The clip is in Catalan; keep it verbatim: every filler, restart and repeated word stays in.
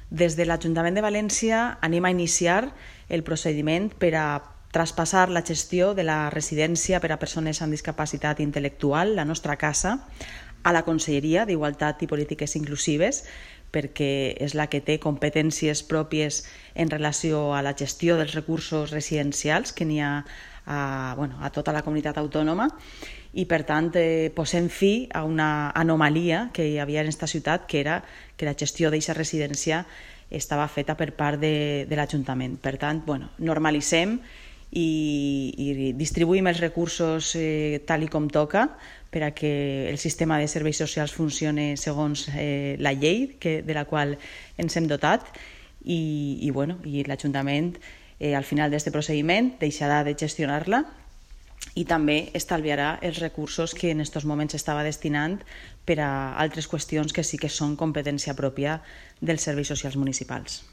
Des de l'Ajuntament de València anem a iniciar el procediment per a traspassar la gestió de la residència per a persones amb discapacitat intel·lectual, la nostra casa, a la Conselleria d'Igualtat i Polítiques Inclusives, perquè és la que té competències pròpies en relació a la gestió dels recursos residencials que n'hi ha a, bueno, a tota la comunitat autònoma, i per tant eh, posem fi a una anomalia que hi havia en aquesta ciutat, que era que la gestió d'aquesta residència estava feta per part de, de l'Ajuntament. Per tant, bueno, normalitzem i, i distribuïm els recursos eh, tal i com toca per a que el sistema de serveis socials funcioni segons eh, la llei que, de la qual ens hem dotat, i, i, bueno, i l'Ajuntament eh, al final d'aquest procediment deixarà de gestionar-la i també estalviarà els recursos que en aquests moments s'estava destinant per a altres qüestions que sí que són competència pròpia dels serveis socials municipals.